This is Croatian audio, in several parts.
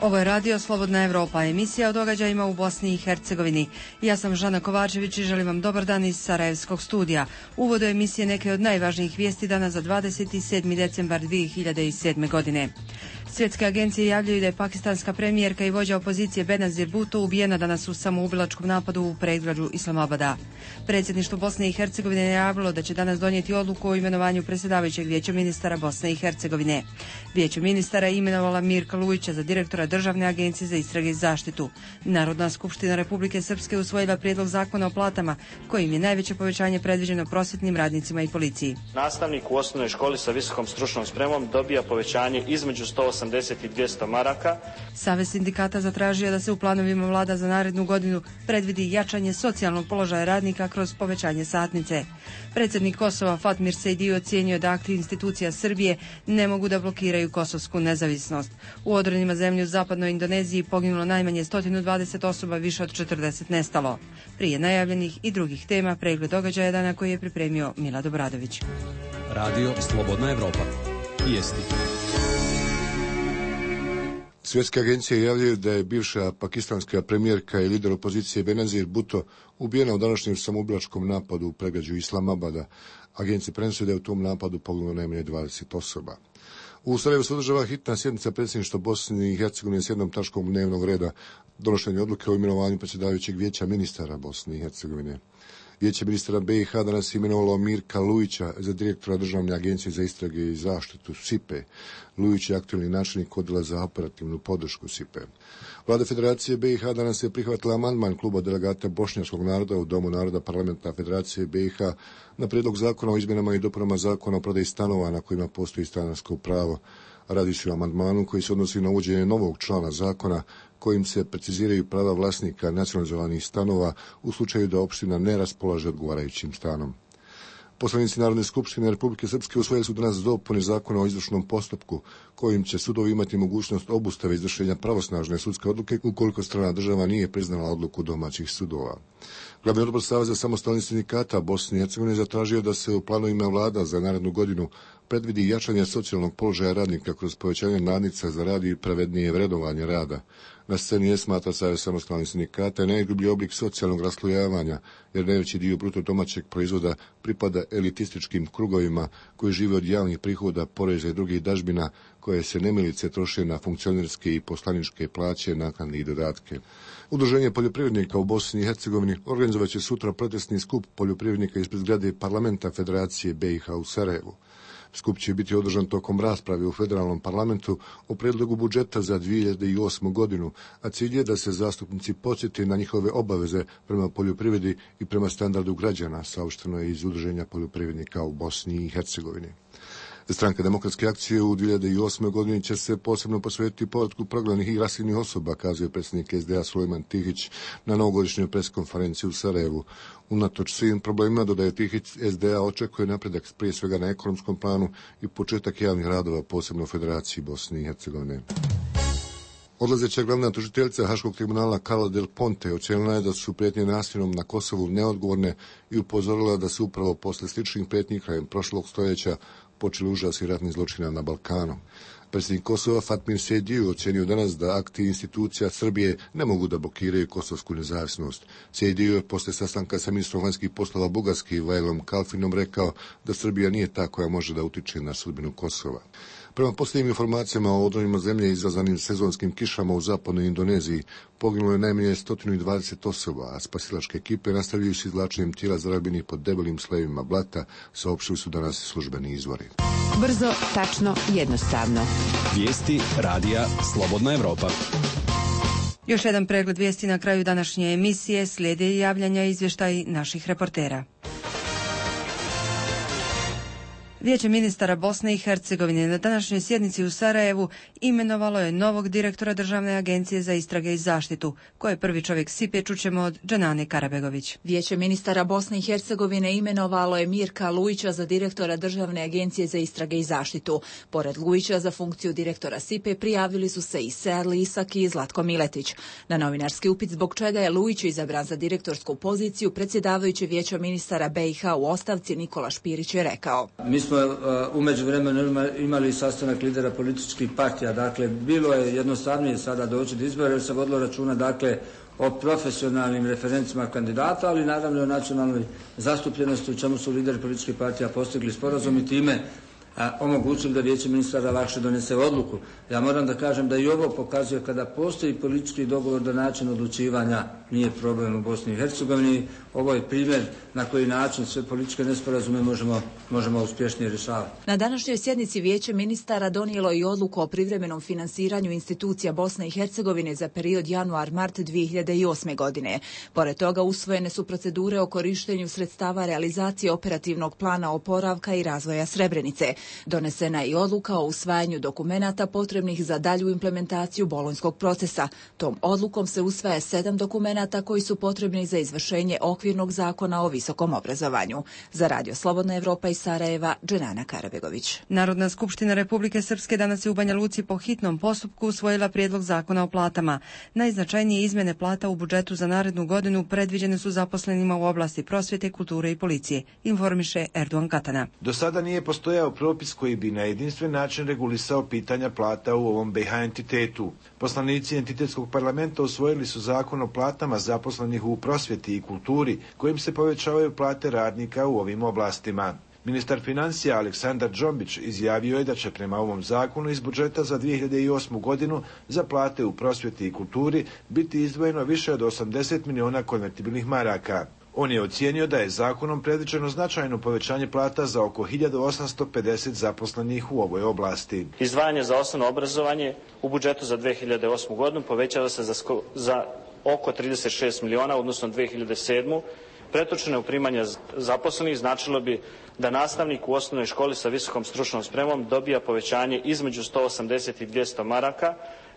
Ovo je radio Slobodna Evropa, emisija o događajima u Bosni i Hercegovini. Ja sam Žana Kovačević i želim vam dobar dan iz Sarajevskog studija. Uvod do emisije neke od najvažnijih vijesti dana za 27. decembar 2007. godine. Svjetske agencije javljaju da je pakistanska premijerka i vođa opozicije Benazir Bhutto ubijena danas u samoubilačkom napadu u predgrađu Islamabada. Predsjedništvo Bosne i Hercegovine je najavilo da će danas donijeti odluku o imenovanju predsjedavajućeg vijeća ministara Bosne i Hercegovine. Vijeće ministara je imenovala Mirka Lujića za direktora Državne agencije za istrage i zaštitu. Narodna skupština Republike Srpske usvojila prijedlog zakona o platama, kojim je najveće povećanje predviđeno prosvjetnim radnicima i policiji. Nastavnik u osnovnoj školi sa visokom stručnom spremom dobija povećanje između 180 i 200 maraka. Savez sindikata zatražio da se u planovima vlada za narednu godinu predvidi jačanje socijalnog položaja radnika kroz povećanje satnice. Predsjednik Kosova Fatmir Sejdiu ocijenio da akti institucija Srbije ne mogu da blokiraju kosovsku nezavisnost. U odronima zemlje u zapadnoj Indoneziji poginulo najmanje 120 osoba, više od 40 nestalo. Prije najavljenih i drugih tema pregled događaja dana koji je pripremio Milad Obradović. Radio Slobodna Evropa. Vijesti. Svjetske agencije javljaju da je bivša pakistanska premijerka i lider opozicije Benazir Bhutto ubijena u današnjem samoubilačkom napadu u predgrađu Islamabada. Agencije prenose da je u tom napadu poginulo najmanje 20 osoba. U Sarajevu se održava hitna sjednica predsjedništva Bosne i Hercegovine s jednom tačkom dnevnog reda, donošenje odluke o imenovanju predsjedavajućeg vijeća ministara Bosne i Hercegovine. Vijeće ministara BiH danas je imenovalo Mirka Lujića za direktora Državne agencije za istrage i zaštitu SIPE. Lujić je aktualni načelnik odjela za operativnu podršku SIPE. Vlada Federacije BiH danas je prihvatila amandman kluba delegata bošnjačkog naroda u Domu naroda parlamenta Federacije BiH na prijedlog zakona o izmjenama i dopunama zakona o prodaji stanova na kojima postoji stanarsko pravo. Radi se o amandmanu koji se odnosi na uvođenje novog člana zakona kojim se preciziraju prava vlasnika nacionalizovanih stanova u slučaju da opština ne raspolaže odgovarajućim stanom. Poslanici Narodne skupštine Republike Srpske usvojili su danas dopune zakona o izvršnom postupku kojim će sudovi imati mogućnost obustave izvršenja pravosnažne sudske odluke ukoliko strana država nije priznala odluku domaćih sudova. Glavni odbor Saveza samostalnih sindikata Bosne i Hercegovine zatražio da se u planovima vlada za narednu godinu predvidi jačanje socijalnog položaja radnika kroz povećanje nadnica za rad i pravednije vrednovanje rada. Na sceni je, smatra Savez samostalnih sindikata, najgrublji oblik socijalnog raslojavanja, jer najveći dio bruto domaćeg proizvoda pripada elitističkim krugovima koji žive od javnih prihoda, poreza i drugih dažbina koje se nemilice troše na funkcionerske i poslaničke plaće, naknade i dodatke. Udruženje poljoprivrednika u Bosni i Hercegovini organizovat će sutra protestni skup poljoprivrednika ispred zgrade parlamenta Federacije BiH u Sarajevu. Skup će biti održan tokom rasprave u federalnom parlamentu o prijedlogu budžeta za 2008. godinu, a cilj je da se zastupnici podsjeti na njihove obaveze prema poljoprivredi i prema standardu građana, saopšteno je iz Udruženja poljoprivrednika u Bosni i Hercegovini. Stranka demokratske akcije u 2008. godini će se posebno posvetiti povratku prognanih i raseljenih osoba, kazuje predsjednik SDA Sulejman Tihić na novogodišnjoj preskonferenciji u Sarajevu. Unatoč svim problemima, dodaje Tihić, SDA očekuje napredak prije svega na ekonomskom planu i početak javnih radova, posebno u Federaciji Bosne i Hercegovine. Odlazeća glavna tužiteljica Haškog tribunala Carla Del Ponte ocijenila je da su prijetnje nasiljem na Kosovu neodgovorne i upozorila da su upravo posle sličnih prijetnji krajem prošlog stoljeća počeli užasi ratnih zločina na Balkanu. Predsjednik Kosova Fatmir Sejdiu ocijenio danas da akti institucija Srbije ne mogu da blokiraju kosovsku nezavisnost. Sejdiu je posle sastanka sa ministrom vanjskih poslova Bugarske Vajlom Kalfinom rekao da Srbija nije ta koja može da utiče na sudbinu Kosova. Prema posljednjim informacijama o odronima zemlje izazvanim sezonskim kišama u zapadnoj Indoneziji poginulo je najmanje 120 osoba, a spasilačke ekipe nastavljaju s izvlačenjem tijela zarobljenih pod debelim slojevima blata, saopštili su danas službeni izvori. Brzo, tačno, jednostavno. Vijesti radija Slobodna Evropa. Još jedan pregled vijesti na kraju današnje emisije, slijede javljanja i izvještaji naših reportera. Vijeće ministara Bosne i Hercegovine na današnjoj sjednici u Sarajevu imenovalo je novog direktora Državne agencije za istrage i zaštitu, koje je prvi čovjek SIPE, čućemo od Džanane Karabegović. Vijeće ministara Bosne i Hercegovine imenovalo je Mirka Lujića za direktora Državne agencije za istrage i zaštitu. Pored Lujića za funkciju direktora SIPE prijavili su se i Seadli Isak i Zlatko Miletić. Na novinarski upit zbog čega je Lujić izabran za direktorsku poziciju, predsjedavajući Vijeća ministara BiH u ostavci Nikola Špirić je rekao: Mi smo smo u međuvremenu imali sastanak lidera političkih partija. Dakle, bilo je jednostavnije sada doći do izbora jer se vodilo računa, dakle, o profesionalnim referencima kandidata, ali naravno o nacionalnoj zastupljenosti u čemu su lideri političkih partija postigli sporazum i time omogućili da Vijeće ministara lakše donese odluku. Ja moram da kažem da i ovo pokazuje kada postoji politički dogovor da način odlučivanja nije problem u Bosni i Hercegovini. Ovo je primjer na koji način sve političke nesporazume možemo uspješnije rješavati. Na današnjoj sjednici Vijeće ministara donijelo i odluku o privremenom finansiranju institucija Bosne i Hercegovine za period januar-mart 2008. godine. Pored toga usvojene su procedure o korištenju sredstava realizacije operativnog plana oporavka i razvoja Srebrenice. Donesena je i odluka o usvajanju dokumenata potrebnih za dalju implementaciju bolonjskog procesa. Tom odlukom se usvaja 7 dokumenata koji su potrebni za izvršenje okvirnog zakona o visokom obrazovanju. Za Radio Slobodna Evropa iz Sarajeva, Dženana Karabegović. Narodna skupština Republike Srpske danas je u Banja Luci po hitnom postupku usvojila prijedlog zakona o platama. Najznačajnije izmjene plata u budžetu za narednu godinu predviđene su zaposlenima u oblasti prosvjete, kulture i policije, informiše Erdogan Katana. Do sada nije postojao propis koji bi na jedinstven način regulisao pitanja plata u ovom BiH entitetu. Poslanici entitetskog parlamenta usvojili su zakon o platama zaposlenih u prosvjeti i kulturi, kojim se povećavaju plate radnika u ovim oblastima. Ministar financija Aleksandar Džombić izjavio je da će prema ovom zakonu iz budžeta za 2008. godinu za plate u prosvjeti i kulturi biti izdvojeno više od 80 miliona konvertibilnih maraka. On je ocijenio da je zakonom predviđeno značajno povećanje plata za oko 1850 zaposlenih u ovoj oblasti. Izdvajanje za osnovno obrazovanje u budžetu za 2008. godinu povećava se za oko 36 miliona, odnosno 2007. Pretočene u primanja zaposlenih značilo bi da nastavnik u osnovnoj školi sa visokom stručnom spremom dobija povećanje između 180 i 200 maraka,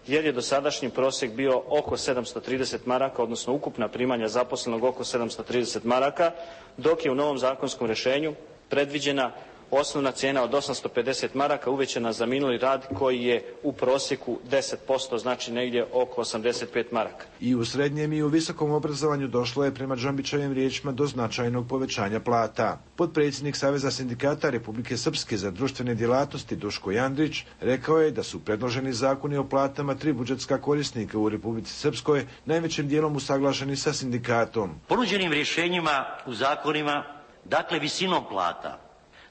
jer je dosadašnji prosjek bio oko 730 maraka, odnosno ukupna primanja zaposlenog oko 730 maraka, dok je u novom zakonskom rješenju predviđena osnovna cijena od 850 maraka uvećana za minuli rad koji je u prosjeku 10%, znači negdje oko 85 maraka. I u srednjem i u visokom obrazovanju došlo je prema Džombićevim riječima do značajnog povećanja plata. Potpredsjednik Saveza sindikata Republike Srpske za društvene djelatnosti Duško Jandrić rekao je da su predloženi zakoni o platama 3 budžetska korisnika u Republici Srpskoj najvećim dijelom usaglašeni sa sindikatom. Ponuđenim rješenjima u zakonima, dakle visinom plata,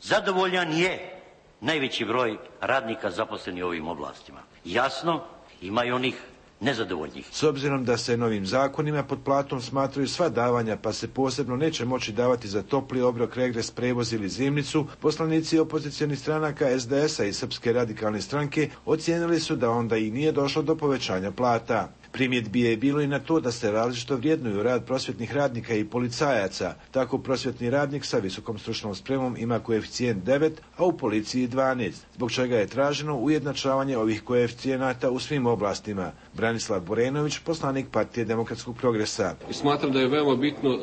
zadovoljan je najveći broj radnika zaposlenih u ovim oblastima. Jasno, ima i onih nezadovoljnih. S obzirom da se novim zakonima pod platom smatraju sva davanja, pa se posebno neće moći davati za topli obrok, regres, prevoz ili zimnicu, poslanici opozicionih stranaka SDS-a i Srpske radikalne stranke ocijenili su da onda i nije došlo do povećanja plata. Primjedbi je bilo i na to da se različito vrijednuju rad prosvjetnih radnika i policajaca. Tako prosvjetni radnik sa visokom stručnom spremom ima koeficijent 9, a u policiji 12, zbog čega je traženo ujednačavanje ovih koeficijenata u svim oblastima. Branislav Borenović, poslanik Partije demokratskog progresa. Smatram da je veoma bitno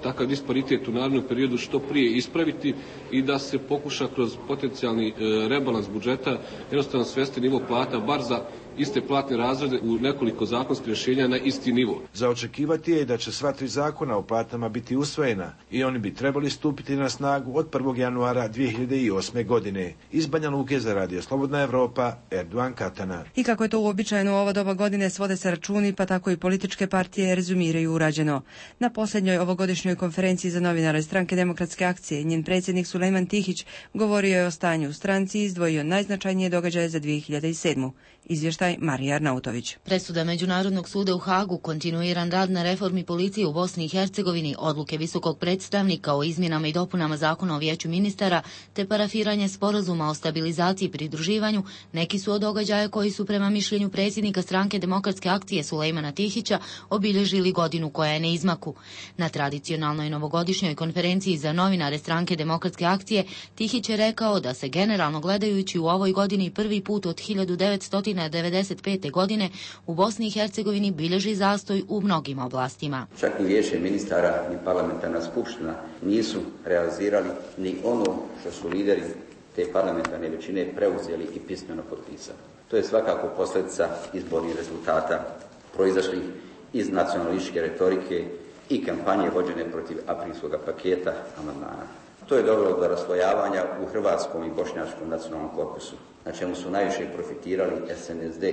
takav disparitet u narednom periodu što prije ispraviti i da se pokuša kroz potencijalni rebalans budžeta jednostavno svesti nivo plata bar za iste platne razrede u nekoliko zakonskih rješenja na isti nivo. Za očekivati je da će sva 3 zakona o platama biti usvojena i oni bi trebali stupiti na snagu od 1. januara 2008. godine. Iz Banja Luke za Radio Slobodna Evropa, Erdogan Katana. I kako je to uobičajeno u ovo doba godine, svode se računi, pa tako i političke partije rezumiraju urađeno. Na posljednjoj ovogodišnjoj konferenciji za novinare Stranke demokratske akcije njen predsjednik Sulejman Tihić govorio je o stanju u stranci i izdvojio najznačajnije događaje za 2007. Izvještaj Marija Arnautović. Presuda Međunarodnog suda u Hagu, kontinuiran rad na reformi policije u Bosni i Hercegovini, odluke visokog predstavnika o izmjenama i dopunama zakona o vijeću ministara, te parafiranje sporazuma o stabilizaciji i pridruživanju, neki su od događaja koji su prema mišljenju predsjednika Stranke demokratske akcije Sulejmana Tihića obilježili godinu koja je na izmaku. Na tradicionalnoj novogodišnjoj konferenciji za novinare Stranke demokratske akcije Tihić je rekao da se generalno gledajući u ovoj godini prvi put od 1995. godine u Bosni i Hercegovini bilježi zastoj u mnogim oblastima. Čak ni vijeće ministara ni parlamentarna skupština nisu realizirali ni ono što su lideri te parlamentarne većine preuzeli i pismeno potpisali. To je svakako posljedica izbornih rezultata proizašlih iz nacionalističke retorike i kampanje vođene protiv aprilskog paketa amandmana. To je dovelo do raslojavanja u hrvatskom i bošnjačkom nacionalnom korpusu, na čemu su najviše profitirali SNSD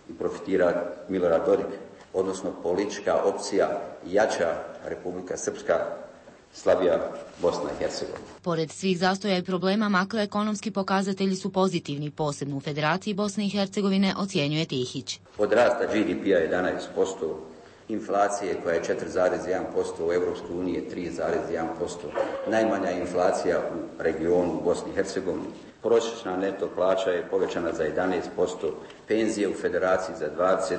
i profitira Milorad Dodik, odnosno politička opcija jača Republika Srpska, slabija Bosna i Hercegovina. Pored svih zastoja i problema, makroekonomski pokazatelji su pozitivni, posebno u Federaciji Bosne i Hercegovine, ocjenjuje Tihić. Od rasta GDP-a 11%, inflacije koja je 4,1%, u Evropskoj uniji je 3,1%, najmanja inflacija u regionu u Bosni i Hercegovini, prosječna neto plaća je povećana za 11%, penzije u Federaciji za 20%,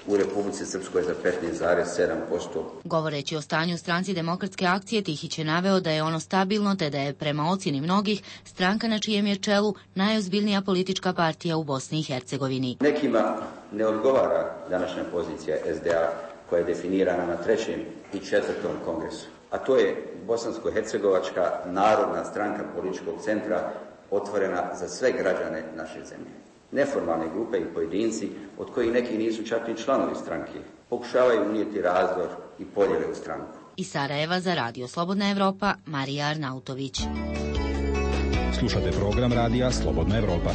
u Republici Srpskoj za 15,7%. Govoreći o stanju Stranci demokratske akcije, Tihić je naveo da je ono stabilno, te da je prema ocjeni mnogih stranka na čijem je čelu najozbiljnija politička partija u Bosni i Hercegovini. Nekima ne odgovara današnja pozicija SDA koja je definirana na 3. i 4. kongresu, a to je Bosansko-hercegovačka narodna stranka političkog centra otvorena za sve građane naše zemlje. Neformalne grupe i pojedinci, od kojih neki nisu čak ni članovi stranke, pokušavaju unijeti razdor i podjele u stranku. Iz Sarajeva za Radio Slobodna Evropa, Marija Arnautović. Slušate program Radija Slobodna Evropa.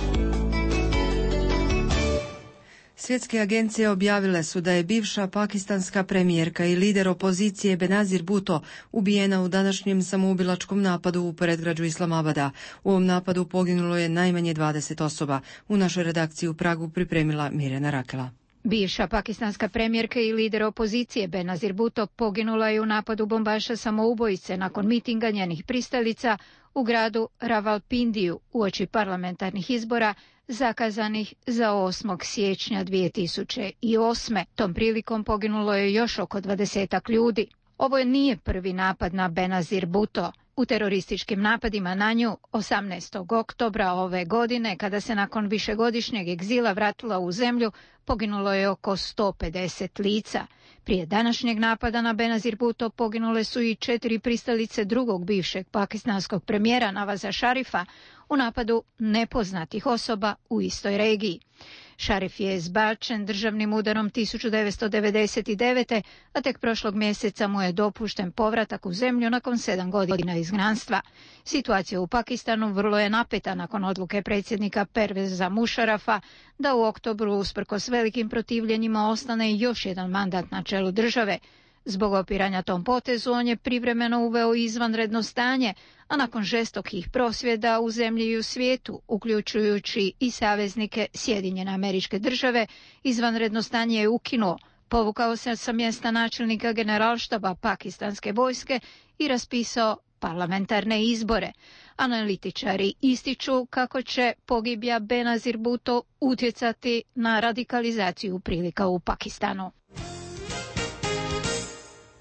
Svjetske agencije objavile su da je bivša pakistanska premijerka i lider opozicije Benazir Bhutto ubijena u današnjem samoubilačkom napadu u predgrađu Islamabada. U ovom napadu poginulo je najmanje 20 osoba. U našoj redakciji u Pragu pripremila Mirjana Rakela. Bivša pakistanska premijerka i lider opozicije Benazir Bhutto poginula je u napadu bombaša samoubojice nakon mitinga njenih pristalica u gradu Rawalpindiju uoči parlamentarnih izbora zakazanih za 8. siječnja 2008. Tom prilikom poginulo je još oko 20 ljudi. Ovo nije prvi napad na Benazir Bhutto. U terorističkim napadima na nju 18. oktobra ove godine, kada se nakon višegodišnjeg egzila vratila u zemlju, poginulo je oko 150 lica. Prije današnjeg napada na Benazir Bhutto poginule su i 4 pristalice drugog bivšeg pakistanskog premijera Navaza Šarifa u napadu nepoznatih osoba u istoj regiji. Šarif je zbačen državnim udarom 1999. a tek prošlog mjeseca mu je dopušten povratak u zemlju nakon 7 godina izgnanstva. Situacija u Pakistanu vrlo je napeta nakon odluke predsjednika Perveza Mušarafa da u oktobru usprkos velikim protivljenjima ostane još jedan mandat na čelu države. Zbog opiranja tom potezu on je privremeno uveo izvanredno stanje, a nakon žestokih prosvjeda u zemlji i u svijetu, uključujući i saveznike Sjedinjene Američke Države, izvanredno stanje je ukinuo, povukao se sa mjesta načelnika generalštaba pakistanske vojske i raspisao parlamentarne izbore. Analitičari ističu kako će pogibija Benazir Bhutto utjecati na radikalizaciju prilika u Pakistanu.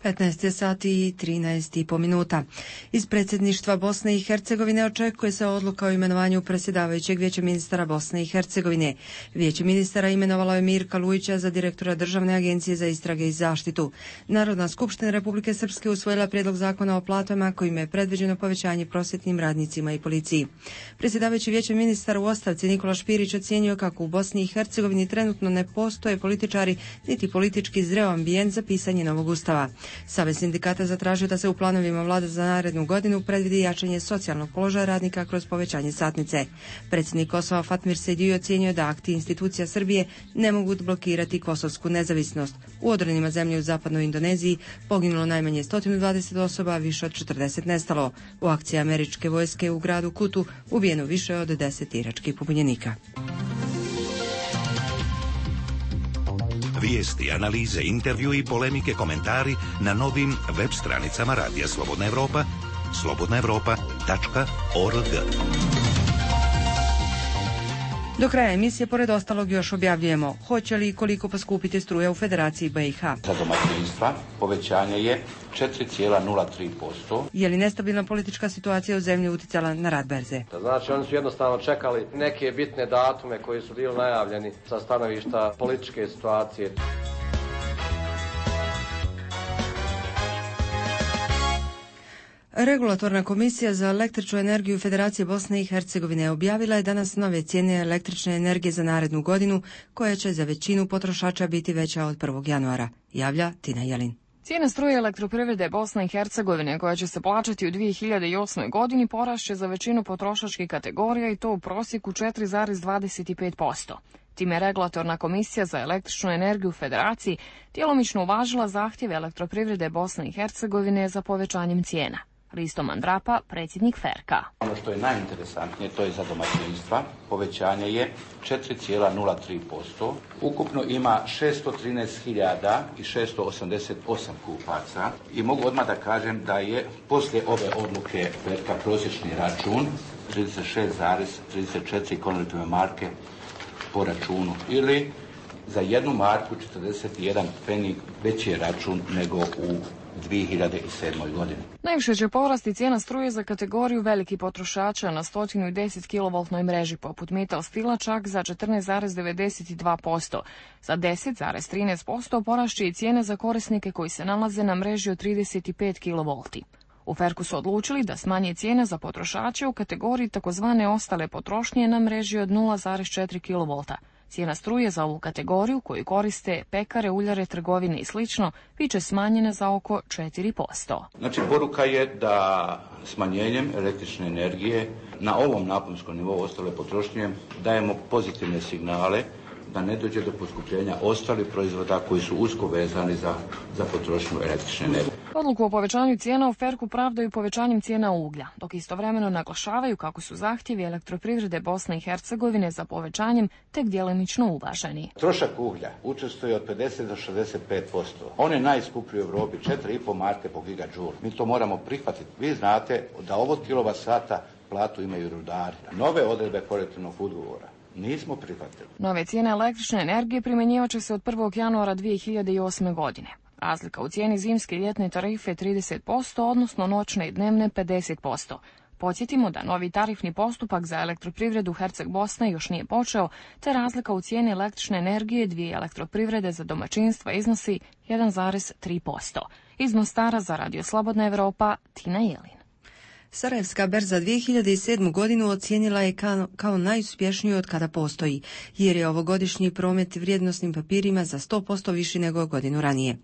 15 sati i 13,5 minuta. Iz predsjedništva Bosne i Hercegovine očekuje se odluka o imenovanju predsjedavajućeg Vijeća ministara Bosne i Hercegovine. Vijeće ministara imenovalo je Mirka Lujića za direktora Državne agencije za istrage i zaštitu. Narodna skupština Republike Srpske usvojila prijedlog zakona o platama kojim je predviđeno povećanje prosvjetnim radnicima i policiji. Predsjedavajući Vijeća ministara u ostavci Nikola Špirić ocjenio kako u Bosni i Hercegovini trenutno ne postoje političari niti politički zreo ambijent za pisanje novog ustava. Savez sindikata zatražio da se u planovima vlade za narednu godinu predvidi jačanje socijalnog položaja radnika kroz povećanje satnice. Predsjednik Kosova Fatmir Sejdić ocjenio da akti institucija Srbije ne mogu blokirati kosovsku nezavisnost. U odranima zemlje u zapadnoj Indoneziji poginulo najmanje 120 osoba, a više od 40 nestalo. U akciji američke vojske u gradu Kutu ubijeno više od 10 iračkih pobunjenika. Vijesti, analize, intervju i polemike, komentari na novim web stranicama Radija Slobodna Evropa, slobodnaevropa.org. Do kraja emisije, pored ostalog, još objavljujemo hoće li i koliko poskupiti struja u Federaciji BiH. Za domaćinstva povećanje je 4,03%. Je li nestabilna politička situacija u zemlji uticala na rad berze? Znači, oni su jednostavno čekali neke bitne datume koji su bili najavljeni sa stanovišta političke situacije. Regulatorna komisija za električnu energiju Federacije Bosne i Hercegovine objavila je danas nove cijene električne energije za narednu godinu, koja će za većinu potrošača biti veća od 1. januara, javlja Tina Jelin. Cijena struje elektroprivrede Bosne i Hercegovine, koja će se plaćati u 2008. godini, porašće za većinu potrošačkih kategorija i to u prosjeku 4,25%. Time regulatorna komisija za električnu energiju u Federaciji djelomično uvažila zahtjeve elektroprivrede Bosne i Hercegovine za povećanjem cijena. Risto Mandrapa, predsjednik FERK-a. Ono što je najinteresantnije, to je za domaćinstva. Povećanje je 4,03%. Ukupno ima 613.688 kupaca i mogu odmah da kažem da je poslije ove odluke FERK-a prosječni račun 36,34 konvertibilne marke po računu ili za jednu marku 41 pfenig veći je račun nego u 2007. godini. Najviše će porasti cijena struje za kategoriju velikih potrošača na 110 kV mreži poput Metal Stila čak za 14,92%. Za 10,13% porašće i cijene za korisnike koji se nalaze na mreži od 35 kV. U FERK-u su odlučili da smanje cijene za potrošače u kategoriji takozvane ostale potrošnje na mreži od 0,4 kV. Cijena struje za ovu kategoriju koju koriste pekare, uljare, trgovine i sl. biće smanjena za oko 4%. Znači, poruka je da smanjenjem električne energije na ovom naponskom nivou ostale potrošnje dajemo pozitivne signale da ne dođe do poskupljenja ostalih proizvoda koji su usko vezani za potrošnju električne energije. Odluku o povećanju cijena u FERK-u pravdaju povećanjem cijena uglja, dok istovremeno naglašavaju kako su zahtjevi elektroprivrede Bosne i Hercegovine za povećanjem tek djelomično uvaženi. Trošak uglja učestvuje od 50 do 65%. On je najskuplji u Europi, 4,5 marke po gigajoule. Mi to moramo prihvatiti. Vi znate da ovo kilovat-sata platu imaju rudari. Nove odredbe kolektivnog ugovora nismo prihvatili. Nove cijene električne energije primjenjivat će se od 1. januara 2008. godine. Razlika u cijeni zimske i ljetne tarife je 30%, odnosno noćne i dnevne 50%. Podsjetimo da novi tarifni postupak za elektroprivredu Herceg Bosne još nije počeo, te razlika u cijeni električne energije dvije elektroprivrede za domaćinstva iznosi 1,3%. Iz Mostara za Radio Slobodna Evropa, Tina Jelin. Sarajevska berza 2007. godinu ocijenila je kao najuspješniju od kada postoji, jer je ovogodišnji promet vrijednosnim papirima za 100% viši nego godinu ranije.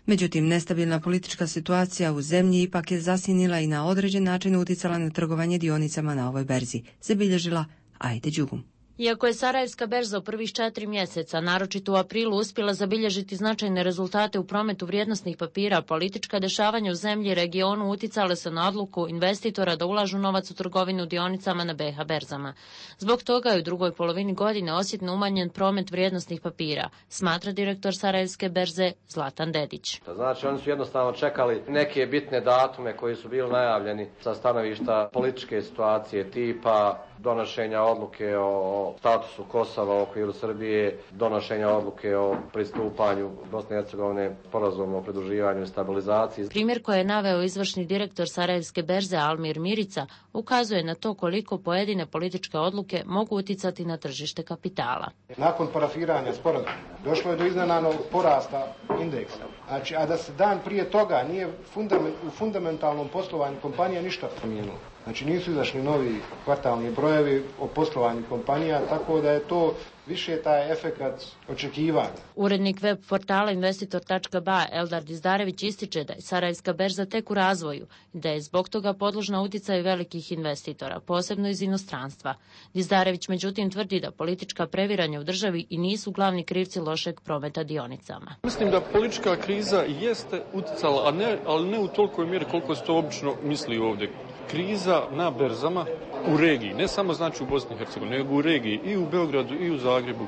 Međutim, nestabilna politička situacija u zemlji ipak je zasjenila i na određen način uticala na trgovanje dionicama na ovoj berzi, zabilježila Ajde Đugum. Iako je Sarajevska berza u prvih 4 mjeseca, naročito u aprilu, uspjela zabilježiti značajne rezultate u prometu vrijednosnih papira, politička dešavanja u zemlji i regionu uticale su na odluku investitora da ulažu novac u trgovinu dionicama na BiH berzama. Zbog toga je u drugoj polovini godine osjetno umanjen promet vrijednosnih papira, smatra direktor Sarajevske berze Zlatan Dedić. Znači, oni su jednostavno čekali neke bitne datume koji su bili najavljeni sa stanovišta političke situacije, tipa donošenja odluke o statusu Kosova u okviru Srbije, donošenja odluke o pristupanju Bosne i Hercegovine sporazumu o pridruživanju i stabilizaciji. Primjer koji je naveo izvršni direktor Sarajevske berze Almir Mirica ukazuje na to koliko pojedine političke odluke mogu uticati na tržište kapitala. Nakon parafiranja sporazuma došlo je do iznenadnog porasta indeksa. Znači, a da se dan prije toga nije u fundamentalnom poslovanju kompanija ništa promijenilo. Znači, nisu izašli novi kvartalni brojevi o poslovanju kompanija, tako da je to više taj efekat očekivanja. Urednik web portala investitor.ba Eldar Dizdarević ističe da je Sarajevska berza tek u razvoju i da je zbog toga podložna uticaju velikih investitora, posebno iz inostranstva. Dizdarević međutim tvrdi da politička previranja u državi i nisu glavni krivci lošeg prometa dionicama. Mislim da politička kriza jeste uticala, ali ne u tolikoj mjeri koliko se to obično misli ovdje. Kriza na berzama u regiji, ne samo znači u Bosni i Hercegovini, nego u regiji i u Beogradu i u Zagrebu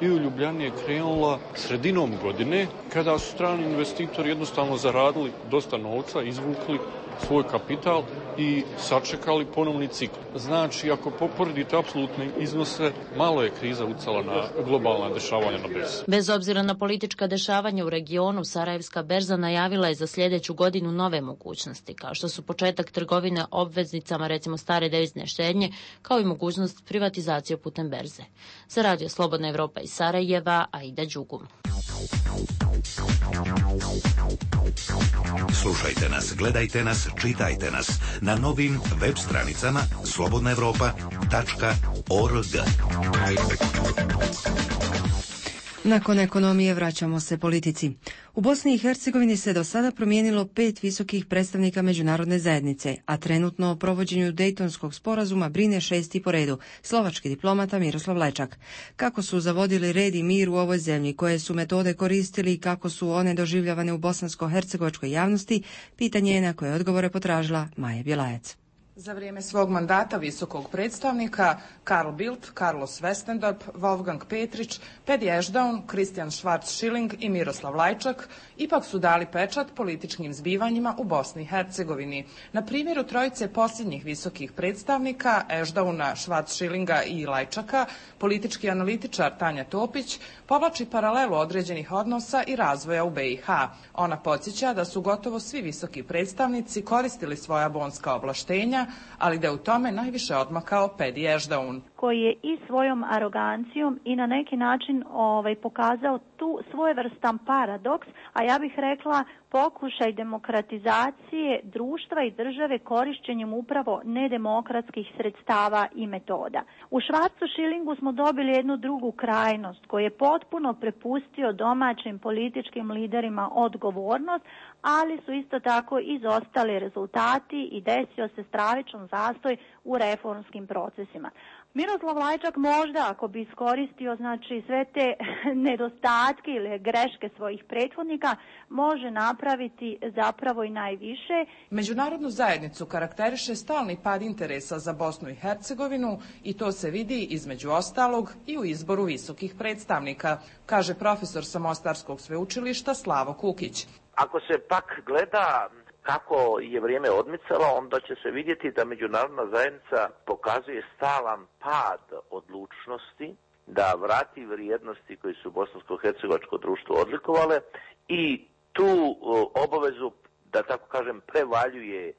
i u Ljubljani je krenula sredinom godine kada su strani investitori jednostavno zaradili dosta novca, izvukli svoj kapital i sačekali ponovni cikl. Znači, ako poporedite apsolutne iznose, malo je kriza ucala na globalna dešavanja na berzi. Bez obzira na politička dešavanja u regionu, Sarajevska berza najavila je za sljedeću godinu nove mogućnosti, kao što su početak trgovine obveznicama, recimo stare devizne štednje, kao i mogućnost privatizacije putem berze. Za Radio Slobodna Evropa iz Sarajeva, Aida Đugum. Slušajte nas, gledajte nas, čitajte nas na novim web stranicama slobodnaevropa.org. Nakon ekonomije vraćamo se politici. U Bosni i Hercegovini se do sada promijenilo 5 visokih predstavnika međunarodne zajednice, a trenutno o provođenju Dejtonskog sporazuma brine 6. po redu, slovački diplomata Miroslav Lajčak. Kako su zavodili red i mir u ovoj zemlji, koje su metode koristili i kako su one doživljavane u bosansko-hercegovačkoj javnosti, pitanje je na koje odgovore potražila Maja Bjelajac. Za vrijeme svog mandata visokog predstavnika Carl Bildt, Carlos Westendorp, Wolfgang Petrić, Pedi Ešdaun, Christian Schwarz-Schilling i Miroslav Lajčak ipak su dali pečat političkim zbivanjima u Bosni i Hercegovini. Na primjeru trojice posljednjih visokih predstavnika, Ešdauna, Schwarz-Schillinga i Lajčaka, politički analitičar Tanja Topić povlači paralelu određenih odnosa i razvoja u BiH. Ona podsjeća da su gotovo svi visoki predstavnici koristili svoja bonska ovlaštenja, ali da je u tome najviše odmakao Pedi Ešdaun, koji je i svojom arogancijom i na neki način pokazao tu svojevrstan paradoks, a ja bih rekla pokušaj demokratizacije društva i države korišćenjem upravo nedemokratskih sredstava i metoda. U Schwarz-Schillingu smo dobili jednu drugu krajnost koji je potpuno prepustio domaćim političkim liderima odgovornost, ali su isto tako izostali rezultati i desio se stravičan zastoj u reformskim procesima. Miroslav Lajčak možda, ako bi iskoristio sve te nedostatke ili greške svojih prethodnika, može napraviti zapravo i najviše. Međunarodnu zajednicu karakteriše stalni pad interesa za Bosnu i Hercegovinu i to se vidi između ostalog i u izboru visokih predstavnika, kaže profesor sa Mostarskog sveučilišta Slavo Kukić. Ako se pak gleda kako je vrijeme odmicalo, onda će se vidjeti da međunarodna zajednica pokazuje stalan pad odlučnosti da vrati vrijednosti koji su bosansko-hercegovačko društvo odlikovale i tu obavezu, da tako kažem, prevaljuje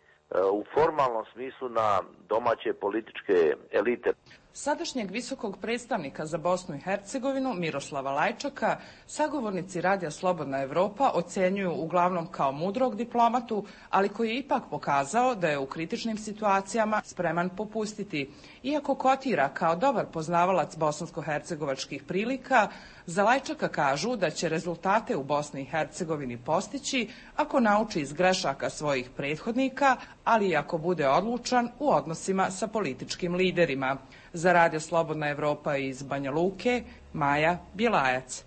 u formalnom smislu na domaće političke elite. Sadašnjeg visokog predstavnika za Bosnu i Hercegovinu, Miroslava Lajčaka, sagovornici Radija Slobodna Evropa ocjenjuju uglavnom kao mudrog diplomatu, ali koji je ipak pokazao da je u kritičnim situacijama spreman popustiti. Iako kotira kao dobar poznavalac bosansko-hercegovačkih prilika, za Lajčaka kažu da će rezultate u Bosni i Hercegovini postići ako nauči iz grešaka svojih prethodnika, ali i ako bude odlučan u odnosima sa političkim liderima. Za Radio Slobodna Evropa iz Banja Luke, Maja Bjelajac.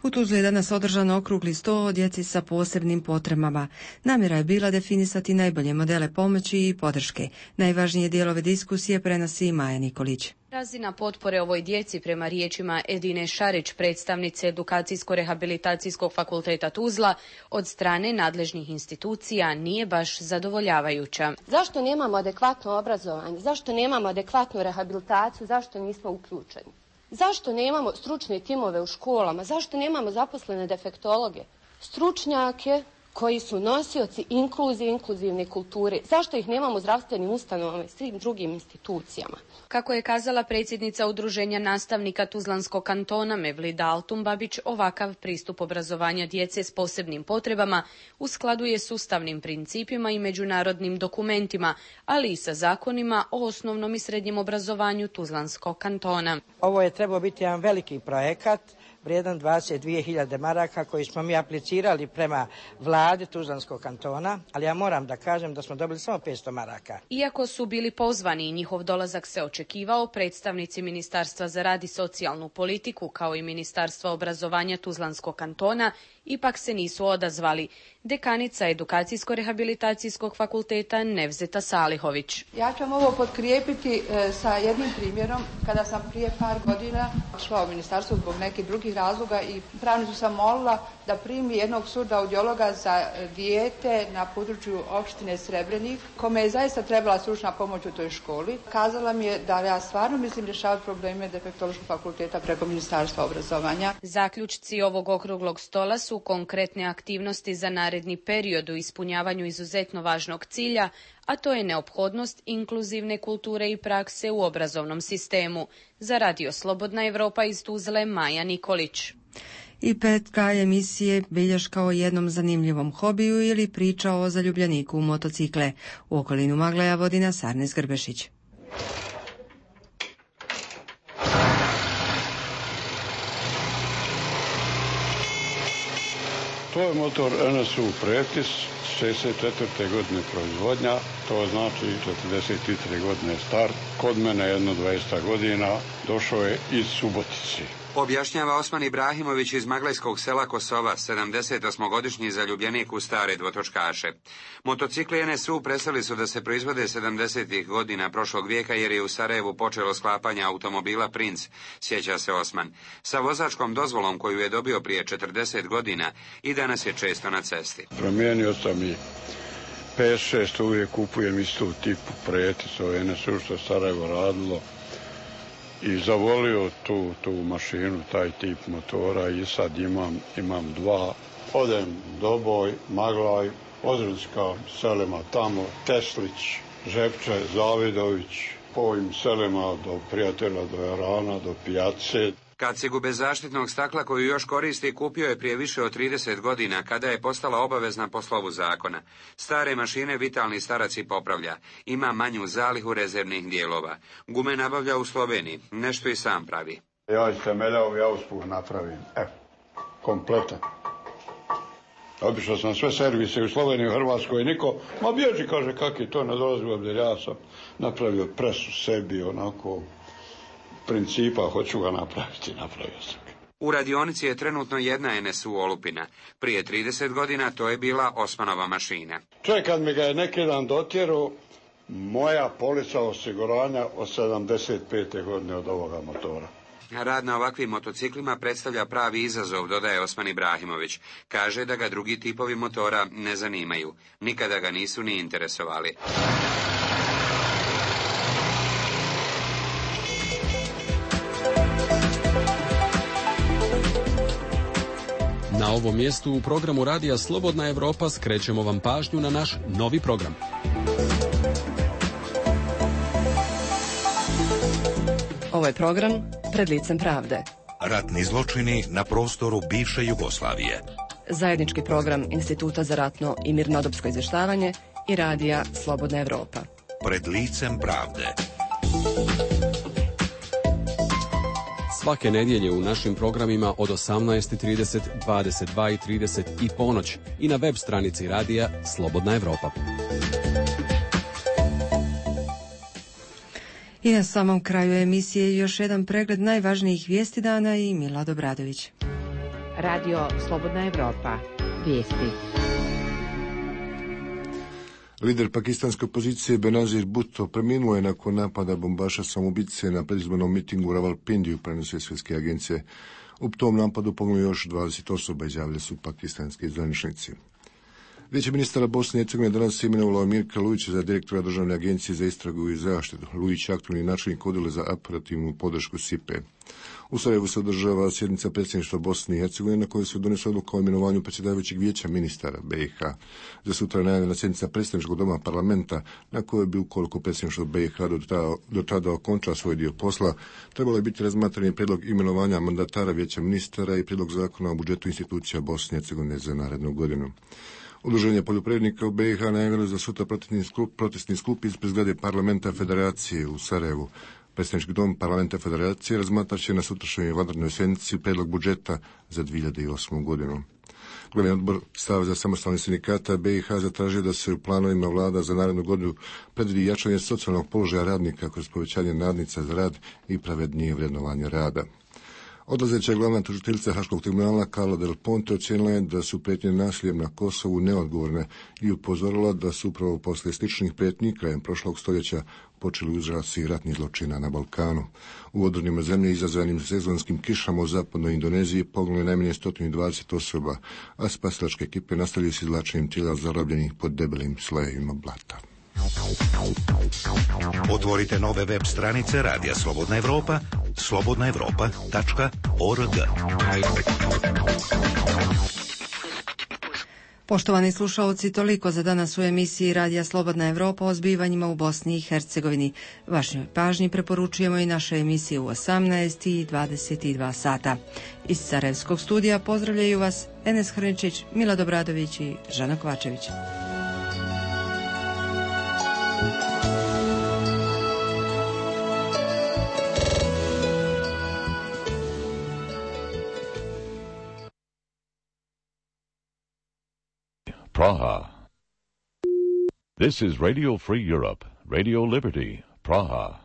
U Tuzli je danas održan okrugli sto o djeci sa posebnim potrebama. Namjera je bila definisati najbolje modele pomoći i podrške. Najvažnije dijelove diskusije prenosi Maja Nikolić. Razina potpore ovoj djeci prema riječima Edine Šarić, predstavnice Edukacijsko-rehabilitacijskog fakulteta Tuzla, od strane nadležnih institucija nije baš zadovoljavajuća. Zašto nemamo adekvatno obrazovanje? Zašto nemamo adekvatnu rehabilitaciju? Zašto nismo uključeni? Zašto nemamo stručne timove u školama? Zašto nemamo zaposlene defektologe? Stručnjake koji su nosioci inkluzije, inkluzivne kulture. Zašto ih nemamo u zdravstvenim ustanovama i svim drugim institucijama? Kako je kazala predsjednica Udruženja nastavnika Tuzlanskog kantona Mevlida Altumbabić, ovakav pristup obrazovanja djece s posebnim potrebama u skladu je s ustavnim principima i međunarodnim dokumentima, ali i sa zakonima o osnovnom i srednjem obrazovanju Tuzlanskog kantona. Ovo je trebao biti jedan veliki projekat vrijedan 22.000 maraka koji smo mi aplicirali prema vladi Tuzlanskog kantona, ali ja moram da kažem da smo dobili samo 500 maraka. Iako su bili pozvani i njihov dolazak se očekivao, predstavnici Ministarstva za rad i socijalnu politiku kao i Ministarstva obrazovanja Tuzlanskog kantona ipak se nisu odazvali. Dekanica Edukacijsko-rehabilitacijskog fakulteta Nevzeta Salihović. Ja ću vam ovo potkrijepiti sa jednim primjerom. Kada sam prije par godina šla u ministarstvo zbog nekih drugih razloga i pravnicu sam molila da primi jednog surdoaudiologa za dijete na području opštine Srebrenik, kome je zaista trebala stručna pomoć u toj školi. Kazala mi je da ja stvarno mislim rješavati probleme defektološkog fakulteta preko Ministarstva obrazovanja. Zaključci ovog okruglog stola su konkretne aktivnosti za naredni period u ispunjavanju izuzetno važnog cilja, a to je neophodnost inkluzivne kulture i prakse u obrazovnom sistemu. Za Radio Slobodna Evropa iz Tuzle, Maja Nikolić. I petka emisije bilješka o jednom zanimljivom hobiju ili priča o zaljubljeniku u motocikle. U okolinu Maglaja vodi nas Arnes Grbešić. To je motor NSU Pretis, 64. godine proizvodnja, to znači 43. godine start. Kod mene jedno 200 godina, došao je iz Subotice. Objašnjava Osman Ibrahimović iz maglajskog sela Kosova, 78-godišnji zaljubljenik u stare dvotočkaše. Motocikli NSU prestali su da se proizvode 70. godina prošlog vijeka jer je u Sarajevu počelo sklapanje automobila Princ, sjeća se Osman. Sa vozačkom dozvolom koju je dobio prije 40 godina i danas je često na cesti. Promijenio sam i 5-6, uvijek kupujem istu tipu Pretis, ovo NSU što je Sarajevo radilo. I zavolio tu mašinu, taj tip motora i sad imam dva. Odem Doboj, Maglaj, Ozrudska selima tamo, Teslić, Žepče, Zavidović, po ovim selima do Prijatelja, do Jarana, do Pijace. Kacigu bez zaštitnog stakla koju još koristi kupio je prije više od 30 godina kada je postala obavezna po slovu zakona. Stare mašine vitalni starac i popravlja. Ima manju zalihu rezervnih dijelova. Gume nabavlja u Sloveniji. Nešto i sam pravi. Ja iz temelja ja uspuh napravim. Kompletan. Obišao sam sve servise u Sloveniji, u Hrvatskoj, niko, ma bježi, kaže, kak je to, ne dolazi u obzir. Ja sam napravio presu sebi, onako, principa, hoću ga napraviti, napravio sam ga. U radionici je trenutno jedna NSU Olupina. Prije 30 godina to je bila Osmanova mašina. Čovjek kad mi ga je neki dan dotjerao, moja polica osiguranja od 75. godine od ovoga motora. Rad na ovakvim motociklima predstavlja pravi izazov, dodaje Osman Ibrahimović. Kaže da ga drugi tipovi motora ne zanimaju. Nikada ga nisu ni interesovali. Na ovom mjestu u programu Radija Slobodna Evropa skrećemo vam pažnju na naš novi program. Ovo je program Pred licem pravde. Ratni zločini na prostoru bivše Jugoslavije. Zajednički program Instituta za ratno i mirnodopsko izvještavanje i Radija Slobodna Evropa. Pred licem pravde. Svake nedjelje u našim programima od 18:30, 22:30 i ponoć i na web stranici Radija Slobodna Evropa. I na samom kraju emisije još jedan pregled najvažnijih vijesti dana i Milad Obradović. Radio Slobodna Evropa. Vijesti. Lider pakistanske opozicije Benazir Bhutto preminuo je nakon napada bombaša samoubice na predizbornom mitingu u Ravalpindiju, prenose svjetske agencije. U tom napadu poginulo još 20 osoba, izjavili su pakistanski zvaničnici. Vijeće ministara Bosne i Hercegovine danas je imenovalo Mirka Lujića za direktora Državne agencije za istragu i zaštitu. Lujić je aktualni načelnik odjela za operativnu podršku SIPE. U Sarajevu se održava sjednica predsjedništva Bosne i Hercegovine na kojoj se donese odluka o imenovanju predsjedavajućeg vijeća ministara BiH. Za sutra je najavljena sjednica predstavničkog doma parlamenta na kojoj bi, ukoliko predsjedništvo BiH do tada okonča svoj dio posla, trebalo je biti razmatrani prijedlog imenovanja mandatara vijeća ministara i prijedlog zakona o budžetu institucija Bosne i Hercegovine za narednu godinu. Udruženje poljoprivrednika u BiH najavilo za sutra protestni skup ispred zgrade parlamenta Federacije u Sarajevu. Predstavnički dom parlamenta Federacije razmatrat će na sutrašnjoj vanrednoj sjednici prijedlog budžeta za 2008. godinu. Glavni odbor Saveza samostalnih sindikata BiH zatražio da se u planovima vlada za narednu godinu predvidi jačanje socijalnog položaja radnika kroz povećanje nadnica za rad i pravednije vrednovanje rada. Odlazeća glavna tužiteljica Haškog tribunala Carla Del Ponte ocijenila je da su prijetnje nasiljem na Kosovu neodgovorne i upozorila da su upravo poslije sličnih prijetnji krajem prošlog stoljeća počeli uzrasti ratnih zločina na Balkanu. U odrnima zemlje izazvanim sezonskim kišama u zapadnoj Indoneziji poginulo je najmanje 120 osoba, a spasilačke ekipe nastavljaju s izvlačenjem tijela zarobljenih pod debelim slojevima blata. Otvorite nove web stranice Radija Slobodna Evropa, slobodnaevropa.org. Poštovani slušalci, toliko za danas u emisiji Radija Slobodna Evropa o zbivanjima u Bosni i Hercegovini. Vašoj pažnji preporučujemo i naše emisije u 18 i 22 sata. Iz Sarajevskog studija pozdravljaju vas Enes Hrničić, Milad Obradović i Žana Kovačević. Praha. This is Radio Free Europe, Radio Liberty, Praha.